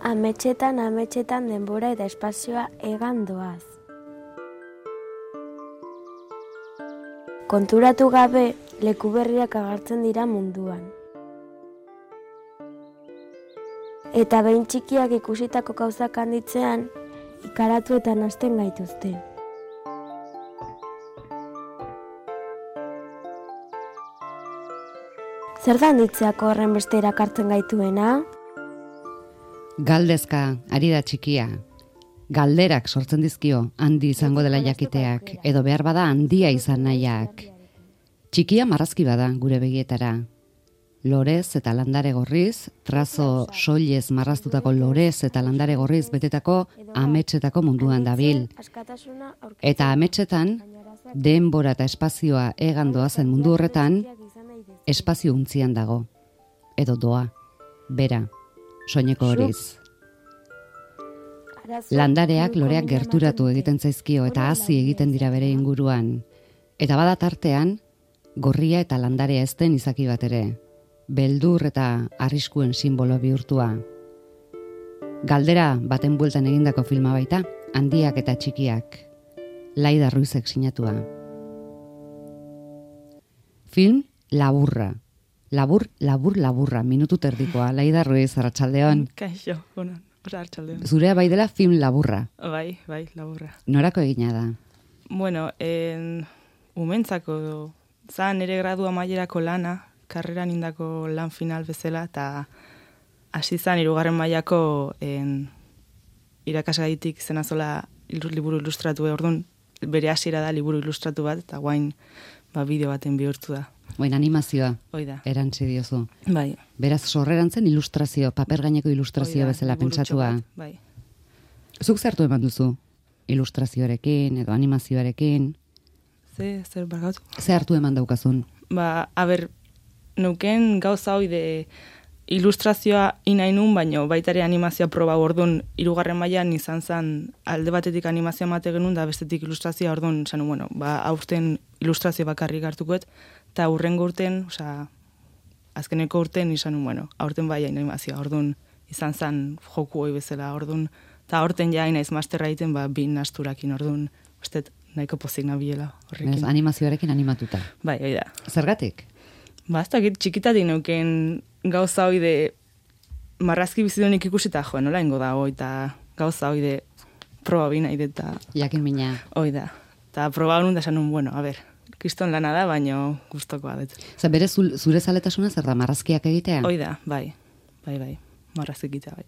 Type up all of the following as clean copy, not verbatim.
Ametsetan denbora eta espazioa egan doaz. Konturatu gabe, leku berriak agertzen dira munduan. Eta behin txikiak ikusitako gauzak handitzean, ikaratu eta nahasten gaituzte. Zer da handitzeako horren beste erakartzen gaituena? Galdezka, ari da txikia. Galderak sortzen dizkio, handi izango dela jakiteak, edo behar bada handia izan nahiak. Txikia marrazki bada gure begietara. Lorez eta landare gorriz, trazo soilez marraztutako lorez eta landare gorriz betetako ametsetako munduan dabil. Eta ametsetan, denbora eta espazioa egan doazen mundu horretan, espazio untzian dago. Edo doa, bera, soineko horiz. Landareak loreak gerturatu egiten zaizkio eta hazi egiten dira bere inguruan. Eta bada tartean, gorria eta landarea ez den izaki bat ere. Beldur eta arriskuen simbolo bihurtua. Galdera baten bueltan egindako filma baita, handiak eta txikiak. Laida Ruizek sinatua. Film laburra. Laburra, minutu terdikoa. Laida Ruiz, arratsaldeon. Kaixo, arratsaldeon. Zurea bai dela film laburra. Bai, laburra. Norako egina da? Bueno, umentzako zan nire gradu amaierako lana, karreran indako lan final bezala, eta hasi zan 3. mailako irakasgaitik izena zola liburu ilustratu, orduan bere hasiera da liburu ilustratu bat, eta guain bideo baten bihurtu da. Oin animazioa, Oida. Erantzi diozu. Bai. Beraz, sorreran zen ilustrazio, paper gaineko ilustrazio bezala pentsatua. Bai. Zuk zertu eman duzu? Ilustrazioarekin edo animazioarekin? Zer bargatu? Ze hartu eman daukazun? Neuken gauza hoi de ilustrazioa inainun, baino baitare animazioa proba orduan 3. mailan izan zen alde batetik animazioa mate genuen, da bestetik ilustrazioa orduan zanu, aurten ilustrazio bakarrik hartukoet, eta hurrengo urten, azkeneko urten izan, aurten bai animazioa, orduan izan zen joku hoi bezala, orduan, eta aurten ja inaiz masterra egiten, bin asturakin, orduan, ustet nahiko pozik nabiela horrekin. Animazioarekin animatuta. Bai, hoi da. Zergatik? Ez dakit txikitatik neuken gauza hoi de marrazki bizidunik ikusita joan, nola ingo da hoi, eta gauza hoi de proba bina ideta. Jakin mina. Hoi da. Eta proba honun da esan kriston lana da, baino gustokoa dut. Bere zure zaletasuna zer da, marrazkiak egitea? Hoi da, bai. Marrazki egitea, bai.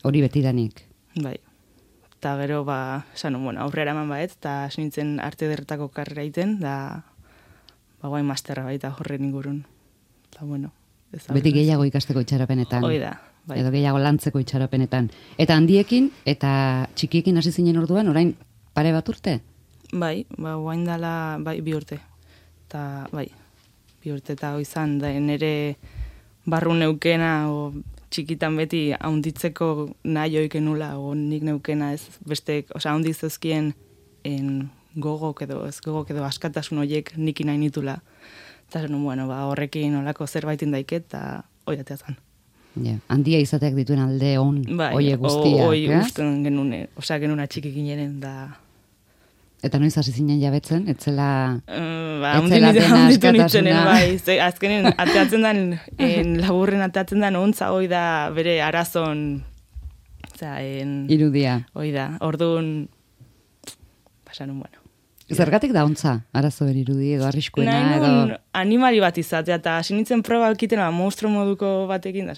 Hori betidanik? Bai. Eta gero, aurrera eman baet, eta nintzen arte derretako karrera egiten, da guain masterra baita horren ingurun. Eta beti gehiago ikasteko itxaropenetan. Hoi da, bai. Edo gehiago lantzeko itxaropenetan. Eta handiekin eta txikiekin hasi zinen orduan, orain pare bat urte? Bai, guain dala, 2 urte. Eta, 2 urte eta izan da, nire barru neukena, txikitan beti haunditzeko nahi oiken nula, nik neukena ez, beste, haundiz ezkien gogok edo askatasun horiek niki nahi nitula. Eta horrekin olako zerbaitin daiket, eta hoi atea zan. Handia izateak dituen alde oie guztiak, Hoi usten genuen, genuen txikik ineren, da... Eta noiz hasi zinen jabetzen, etzela dena askatasuna. Azkenen ateatzen den, laburren ateatzen den, ontza hoi da bere arazon... Irudia. Hoi da, orduan... Pasanun, Zergatik da ontza, arazo irudi edo arriskuena edo... Nahi animali bat izatea, eta hasi nintzen proba ekiten, monstro moduko batekin, da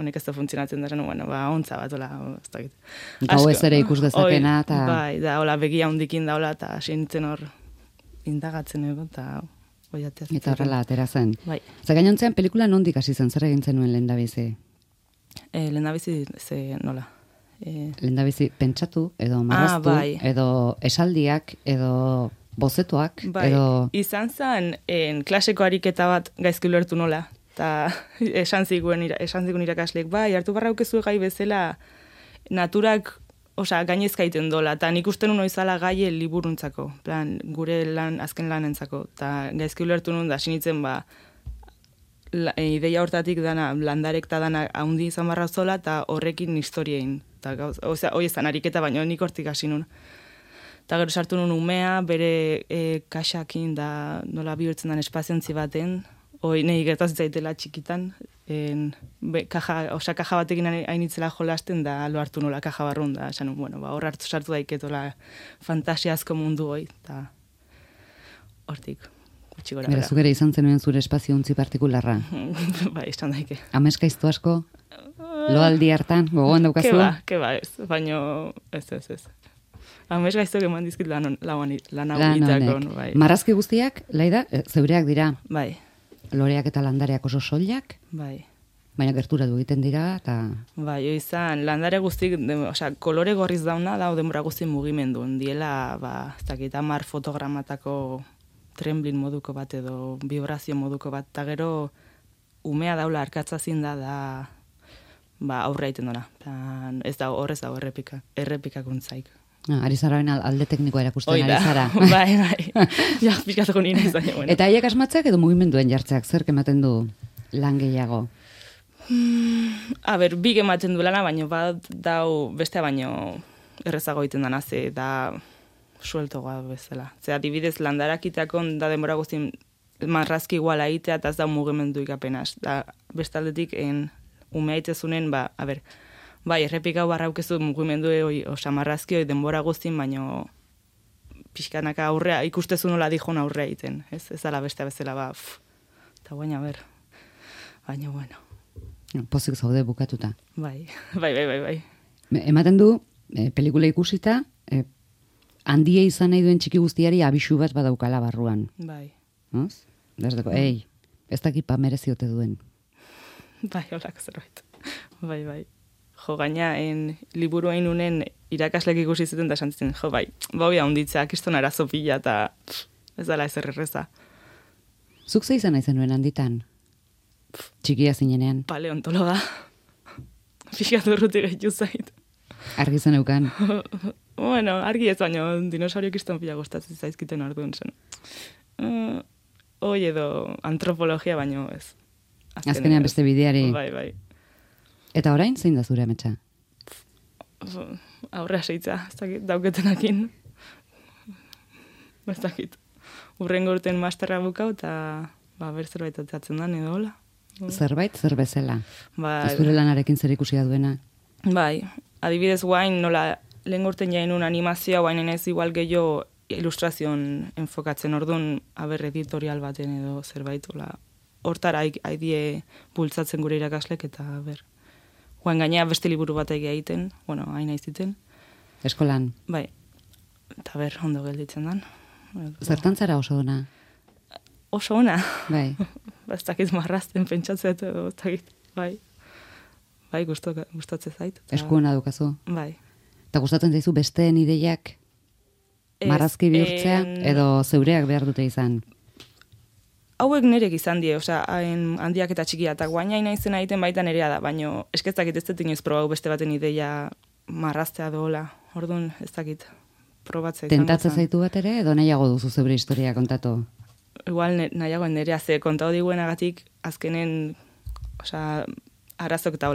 honek ez da funtzionatzen, da ontza bat, ez dakit. Gau ez ere ikus dezakena, eta... Bai, da, begia hundikin daula, eta hasi nintzen hor indagatzen ego, eta oiatea. Eta horrela atera zen. Bai. Gainontzean pelikula nondik hasi zen, zer egin zenuen lehendabizi? Lehendabizi, nola? Lehendabizi pentsatu, edo marraztu, edo esaldiak, edo bozetuak, edo... Izan zen, klaseko ariketa bat gaizki ulertu nola, eta esan zigun irakasleek, hartu barraukezu gai bezala naturak, gainezka iten dola, eta nik uste nun oizala gaie liburuntzako, gure azken lanentzako, eta gaizki ulertu nun da, sinitzen ideia hortatik dana, landarek eta dana haundi izan barra zola, eta horrekin historiein. Hoi ezan ariketa, baina nik hortik hasi nun. Eta gero sartu nun umea, bere kaxakin da nola bihurtzen den espaziontzi baten, nahi gertaz zaitela txikitan, kaja batekin hainitzela jolasten, da lo hartu nola kaja barrun, da esan, hor hartu sartu daiketola fantasiazko mundu hoi, eta hortik. Bera, zuk ere izan zenuen zure espazio untzi partikularra. Bai, izan daike. Ameskaiztu asko? Loaldi hartan, gogoan daukazu? Keba ez, baino ez. Ameskaiztuak eman dizkit lan hau itzakon. Bai. Marrazki guztiak, Laida, zeureak dira? Bai. Loreak eta landareak oso soilak? Bai. Baina gerturatu egiten dira, eta... Bai, izan, landare guztik, kolore gorriz dauna, da, denbora guzti mugimendun. Diela, ez dakit, 10 fotogramatako tremblin moduko bat edo vibrazio moduko bat, eta gero umea daula arkatzazin da aurre egiten duna. Ez da horrez dago errepikakuntzaik. Ari zara alde teknikoa erakusten ari zara. Bai. Ja, pixkatuko nina izan. Bueno. Eta haiek asmatzeak edo mugimenduen jartzeak, zer ematen du lan gehiago? Big ematen du lana, baino bat dau bestea baino errezago egiten dana, ze da sueltoa bezala. Ze adibidez landarakiteakon da denbora guztien marrazki iguala egitea, eta ez da mugimendu ikapenaz. Da bestaldetik umea itezunen, bai, errepikau barraukezu mugimendu marrazki hoi denbora guztien, baino pixkanaka aurrea, ikustezu nola dijon aurrea egiten. Ez ala bestea bezala, eta baina baina bueno. Pozik zaude bukatuta. Bai. Ematen du, pelikula ikusita, handia izan nahi duen txiki guztiari abisu bat badaukala barruan. Bai. Oz? Desdeko, ez dakit mereziote duen. Bai, holako zerbait. Bai. Jo, gaina, liburu hain unen irakaslek ikusi zuten da esan zitzen, hoi ahonditzea, kiston arazo pila, eta ez dala ezer erreza. Zuk ze izan nahi zenuen handitan? Txikia zinenean? Paleontologa. Pixkatu urruti gehitu zait. Argi zen eukan? Bueno, argi ez baino, dinosaurio kiston pila gustatzen zaizkiten orduan zen. Hoi edo antropologia baino ez. Azkenean beste bideari. Bai. Eta orain zein da zure ametsa? Aurrea seitza, ez dakit, dauketenakin. Ez dakit. Urrengo urten masterra bukau, eta zerbait atzatzen dan edo hola. Zerbait, zer bezala? Bai. Zure lanarekin zer ikusia duena? Bai, adibidez guain, nola, lehen urten jainun animazioa, guain ez igual gehiago ilustrazion enfokatzen orduan, editorial baten edo zerbait, hortara haidie bultzatzen gure irakaslek, eta guain gainea beste liburu bat egiten, hain aiziten. Eskolan? Bai, eta ondo gelditzen dan. Zertan zara oso ona? Oso ona? Bai. Ez dakit marrazten pentsatzet edo, ez dakit, bai. Bai, gustatzen zait. Eskuona dukazu? Bai. Eta gustatzen zaizu besteen ideiak marrazki bihurtzea edo zeureak behar dute izan? Hauek nerek izan die, handiak eta txikia, eta guaina izena egiten baita nerea da, baina esketzakit ez dut inoiz probau beste baten ideia marraztea dola, orduan ez dakit probatzea izango. Tentatzen zaitu bat ere, edo nahiago duzu zeure historia kontatu? Igual nahiago nerea ze kontatu diguenagatik azkenen, arazok eta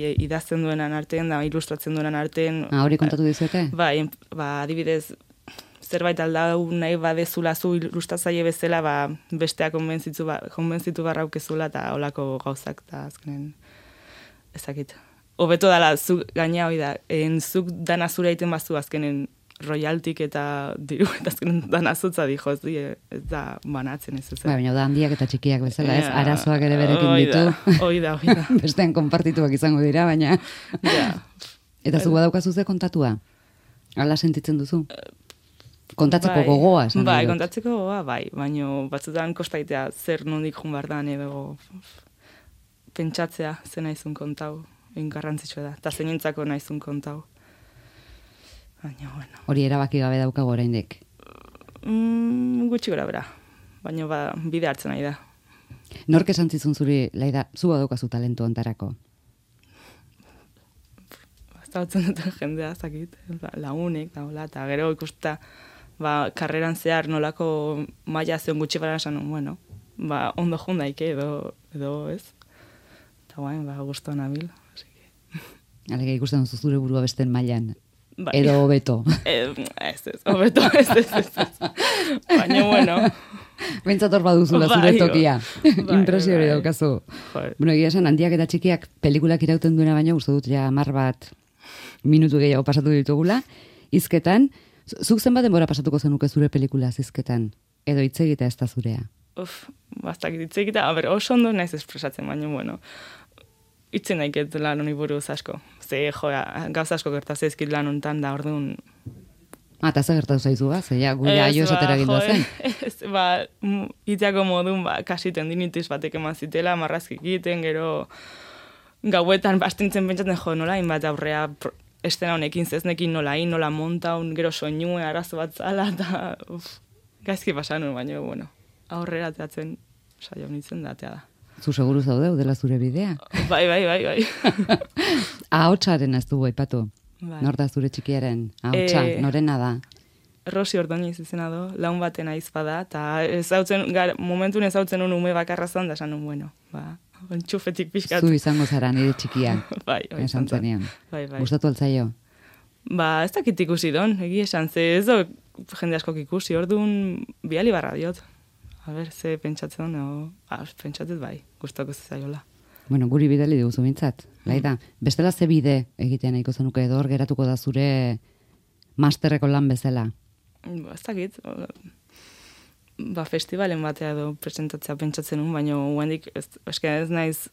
idazten duenan artean, da ilustratzen duenan artean. Hori kontatu dizuete? Bai, adibidez, zerbait aldau nahi badezula zu ilustratzaile bezala, bestea konbentzitu barraukezula eta olako gauzak, eta azkenen ezakit. Hobeto dala, zuk gaina hori da, zuk dana zure egiten bazu azkenen royaltik eta diru, eta azkenen dana zutza dijo, ez da banatzen ez. Baina da handiak eta txikiak bezala, ez? Arazoak ere berekin ditu. Hoi da. Bestean konpartituak izango dira, baina... Eta zu badaukazu ze kontatua? Hala sentitzen duzu? Kontatzeko gogoa, esan dut. Bai, kontatzeko gogoa, bai. Baina batzutan kostaitea zer nondik jun bardan edo pentsatzea zen naizun kontau. Garrantzitsua da. Eta zenintzako naizun kontau. Baina, bueno. Hori erabaki gabe daukago oraindik? Gutxi gora bera. Baina bide hartzen nahi da. Nork esan zizun zuri, Laida, zu badaukazu talentu ontarako? Zautzen duten jendea, zakit, lagunek, eta gero ikusta, karreran zehar nolako maila zeon gutxi bara esan, ondo jundaike edo ez. Eta guain, guztua nabil. Alega ikusten duzu zure burua besten mailan. Bai. Edo hobeto. Hobeto, ez. Baina, bueno. Bentsator baduzula zure tokia. Impresio hori daukazu. Bueno, egia esan, handiak eta txikiak pelikulak irauten duena baina uste dut ja 10 minutu gehiago pasatu ditugula. Hizketan, zuk zenbat denbora pasatuko zenuke zure pelikula hizketan? Edo hitz egita ez da zurea? Bastak hitz egita, oso ondo naiz espresatzen, baina, bueno, itzen naiket lan honi buruz asko. Ze, gauza asko gertaz ezkit lan honetan da, orduan... Eta ze gertatu zaizu, ze ja, gure aio esatera gindu zen. Ez, iteako modun, kasi tendinitis batek eman zitela, marrazkik egiten, gero gauetan bastintzen pentsatzen nola, inbat aurrea estena honekin zeznekin nola montaun, gero soinue arazo bat zala, eta gaizki pasanun, baina, bueno, aurrera teatzen saio nintzen datea da. Zu seguru zaude, dela zure bidea? Bai. Ahotsaren ez dugu aipatu. Nor da zure txikiaren ahotsa, norena da? Rosi Ordoniz izena do, laun baten aizpada, eta momentun ezautzen un ume bakarra zan, da esan bueno, entxufetik pixkat. Zu izango zara nire txikia. Bai, esan zenean. Bai. Gustatu altzaio? Ez dakit ikusi don, egi esan, ze ez do jende askok ikusi, orduan biali barra diot. Ze pentsatzen, pentsatzen bai, gustako zaiola. Bueno, guri bidali dugu bintzat. Laida, bestela ze bide egitean nahiko zenuke edo hor geratuko da zure masterreko lan bezala? Ez dakit, festivalen batea edo presentatzea pentsatzen nun, baina guendik ez naiz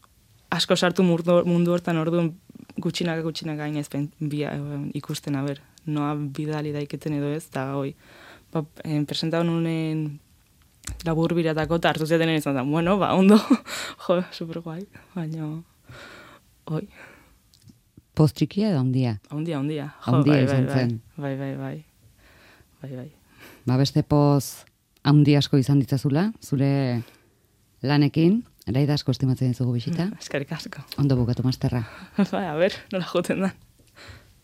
asko sartu mundu hortan orduan gutxinaka gainez ikusten, noa bidali daiketen edo ez, eta hoi, presentatu nunen labur biratako eta hartu ziaten izan zen, bueno, ondo, super guai, baina, hoi. Poz txikia edo ondia? Ondia. Ondia izan zen. Bai. Beste poz handi asko izan ditzazula, zure lanekin, Laida asko estimatzen dizugu bisita. Eskerrik asko. Ondo bukatu masterra. Nola joten da.